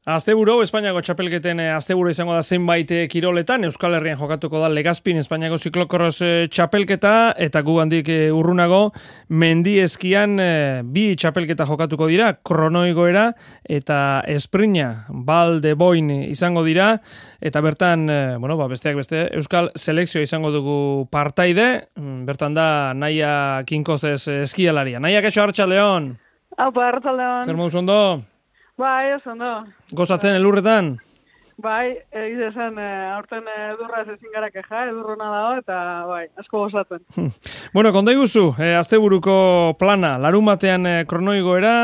Asteburu, Espainiako txapelketen asteburu izango da zenbait kiroletan, Euskal Herrian jokatuko da Legazpin Espainiako ziklokross txapelketa, eta gu handik urrunago, mendieskian bi txapelketa jokatuko dira, kronoigoera eta esprina, Val de Boin izango dira, eta bertan, besteak beste, Euskal selekzioa izango dugu partaide, bertan da Naia Kinkozez eskialaria. Naia, kaixo, arratsaldeon. Aupa, arratsaldeon. Zer moduz ondo? Bai, oso ondo. Gozatzen elurretan? Bai, esan, aurten edurraz ezin gara keja, edurrona dago, eta bai, asko gozatzen. Konta iguzu, asteburuko plana, larun batean kronoigoera,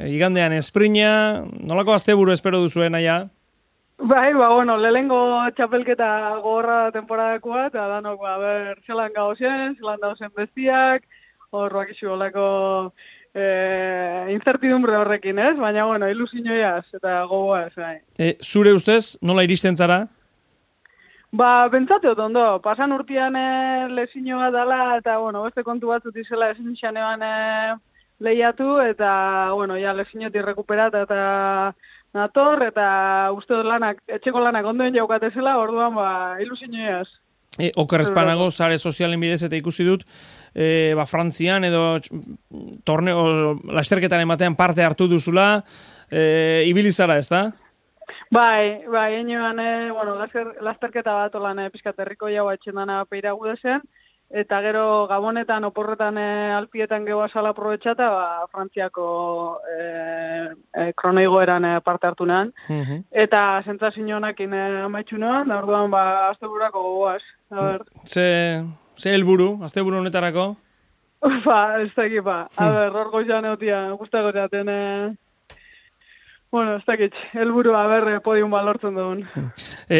igandean esprina, nolako asteburu espero duzuen aia? Bai, lehengo txapelketa gogorra temporadakoa, eta danok, zelan gauzen, zelan dauzen bestiak, horroak isu olako incertidumbre horrekin, ez? Baina, ilusioiaz eta gogoaz, bai. Zure ustez, nola iristen zara? Pentsatu ondo, pasan urtean lezino bat dala, eta, beste kontu batzut izela ezin xanean lehiatu, eta, lezinotik rekuperat eta nator, eta uste dut etxeko lanak ondoen jaukatezela, orduan, ilusioiaz. Oker espanago, sare sozialen bidez eta ikusi dut, Frantzian edo torneo, lasterketaren batean parte hartu duzula, ibili zara, ez da? Bai, enoan, lasterketa bat olan pizkat herriko jau atxendana peira gudezen, eta gero gabonetan, oporretan alpietan gehoa sala aprobetxata, Frantziako kronoigoeran parte hartu nean. Eta sentsazio honekin amaitxu nean, da orduan asteburako gogoaz. Ze helburu, asteburu honetarako? Ez dakit, hor goizan egotia, guztako jaten, ez dakit, helburu, podium balortzen dugun.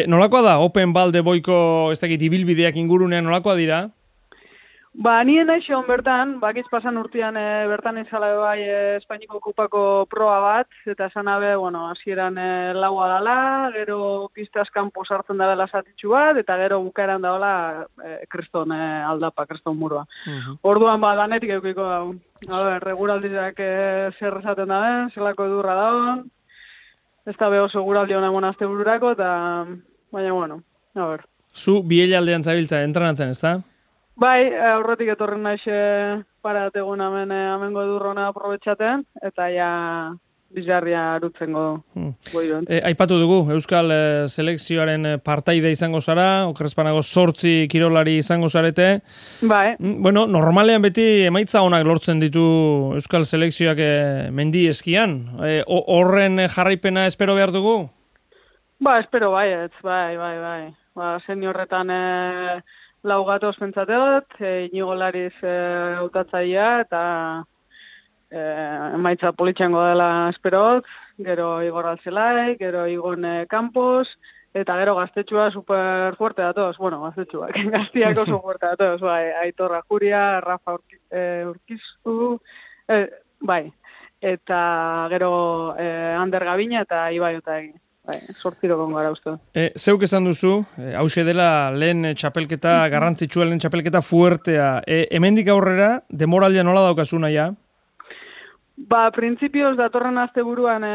Nolakoa da, Open Val de Boiko, ez dakit, ibilbideak ingurunean, nolakoa dira? Nien naixon bertan, bakitz pasan urtean bertan izala bai Espainiko kupako proa bat, eta esan abe, hasieran laua dala, gero pistaz kanpo sartzen dela zatitxu bat, eta gero bukaeran daola kriston aldapa, kriston murua. Orduan danetik eukiko daun. Reguraldizak zer esaten da den, zelako edurra daun, ez da oso guraldi honen astebururako, eta baina, Zu bielaldean zabiltza, entrenatzen, ez da? Bai, aurretik etorren naiz parategun amengo edurrona aprobetxaten, eta bizarria arutzengo goion. Aipatu dugu, Euskal selekzioaren partaide izango zara, okerrezpanago 8 kirolari izango zarete. Bai. Normalean beti emaitza onak lortzen ditu Euskal selekzioak mendi eskian. Horren jarraipena espero behar dugu? Espero baietz, bai. Seniorretan lau gatoz pentsateot, Inigo Lariz hautatzaia, eta emaitza politxango dela esperot, gero Igor Altzelai, gero Igon Campos, eta gero gaztetxua super fuerte datoz, gaztetxuak, gaztiak oso fuerte datoz, Aitor Ajuria, Rafa Urkizu, eta gero Ander Gabina eta Ibai Otagi. 8 gara uste. Zeuk esan duzu, hause dela lehen txapelketa, garrantzitsua lehen txapelketa fuertea. Hemendik aurrera, demoraldia nola daukazu naia? Printzipioz datorren asteburuan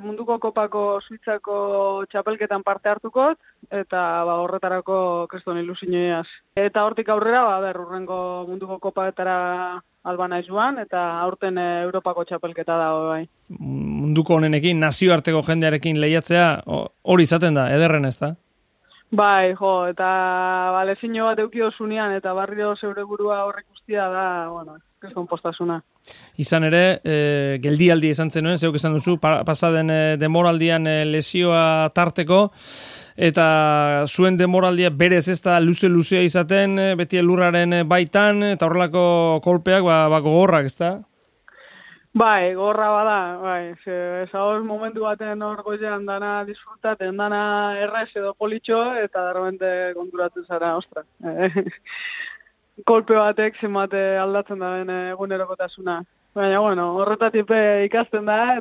munduko kopako Suitzako txapelketan parte hartukot, eta horretarako kriston ilusioiaz. Eta hortik aurrera, urrengo munduko kopatara albana joan, eta aurten Europako txapelketa dago bai. Munduko honenekin, nazioarteko jendearekin lehiatzea, hori izaten da, ederren ez da? Bai, eta lezino bat eukio zunean, eta barrio zeure burua horrek guztia da, kriston postasuna. Izan ere, geldialdi izan zenuen, zeuk esan duzu, pasaden demoraldian lesioa tarteko, eta zuen demoraldia berez ez da luze-luzea izaten, beti elurraren baitan, eta horrelako kolpeak gogorrak, ez da? Bai, gorra bada, ezagoz momentu baten hor goizean dana disfrutaten, dana errez edo politxo, eta darramente konturatu zara, ostra. Kolpe batek zenbat aldatzen da ben egunerokotasuna. Baina, horretatik ikasten da,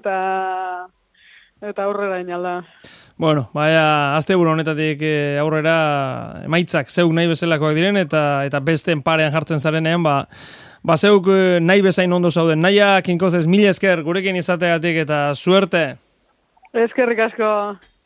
eta aurrera inalda. Asteburu honetatik aurrera emaitzak zeuk nahi bezalakoak diren, eta besten parean jartzen zarenean, zeuk nahi bezain ondo zauden. Naia Kinkozez, mila esker gurekin izateagatik eta suerte. Eskerrik asko.